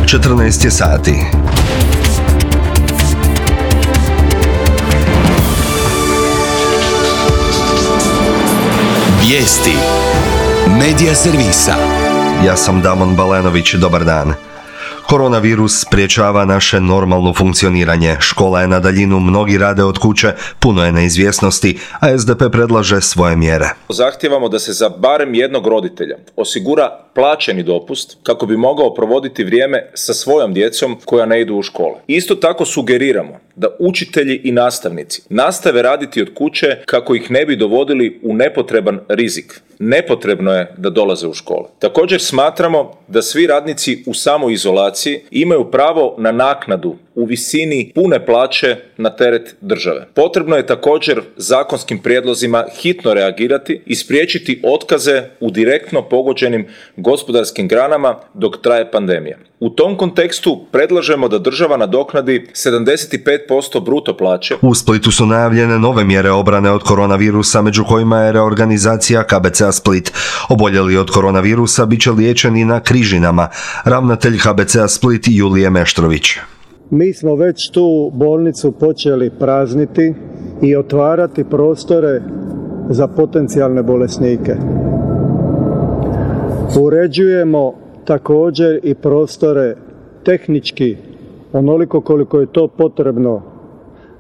14 je sati. Vijesti Medija servisa. Ja sam Damon Balenović, dobar dan. Koronavirus spriječava naše normalno funkcioniranje. Škola je na daljinu, mnogi rade od kuće, puno je neizvjesnosti, a SDP predlaže svoje mjere. Zahtijevamo da se za barem jednog roditelja osigura plaćeni dopust kako bi mogao provoditi vrijeme sa svojom djecom koja ne idu u škole. Isto tako sugeriramo da učitelji i nastavnici nastave raditi od kuće kako ih ne bi dovodili u nepotreban rizik. Nepotrebno je da dolaze u škole. Također smatramo da svi radnici u samoizolaciji imaju pravo na naknadu u visini pune plaće na teret države. Potrebno je također zakonskim prijedlozima hitno reagirati i spriječiti otkaze u direktno pogođenim gospodarskim granama dok traje pandemija. U tom kontekstu predlažemo da država nadoknadi 75% bruto plaće. U Splitu su najavljene nove mjere obrane od koronavirusa, među kojima je reorganizacija KBC-a Split. Oboljeli od koronavirusa bit će liječeni na Križinama. Ravnatelj KBC-a Split Julije Meštrović. Mi smo već tu bolnicu počeli prazniti i otvarati prostore za potencijalne bolesnike. Uređujemo također i prostore tehnički, onoliko koliko je to potrebno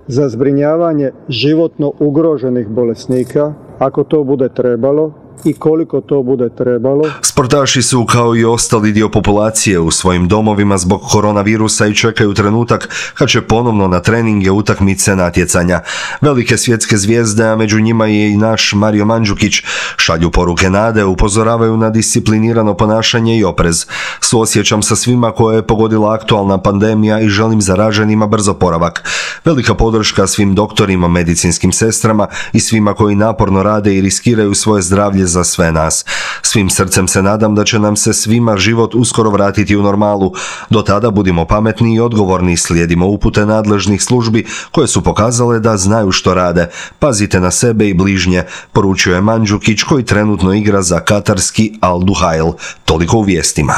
za zbrinjavanje životno ugroženih bolesnika, ako to bude trebalo i koliko to bude trebalo. Sportaši su, kao i ostali dio populacije, u svojim domovima zbog koronavirusa i čekaju trenutak kad će ponovno na treninge, utakmice, natjecanja. Velike svjetske zvijezde, a među njima je i naš Mario Mandžukić, šalju poruke nade, upozoravaju na disciplinirano ponašanje i oprez. Suosjećam sa svima koje je pogodila aktualna pandemija i želim zaraženima brz oporavak. Velika podrška svim doktorima, medicinskim sestrama i svima koji naporno rade i riskiraju svoje zdravlje za sve nas. Svim srcem se nadam da će nam se svima život uskoro vratiti u normalu. Do tada budimo pametni i odgovorni, slijedimo upute nadležnih službi koje su pokazale da znaju što rade. Pazite na sebe i bližnje, poručuje Mandžukić koji trenutno igra za katarski Al Duhail. Toliko u vijestima.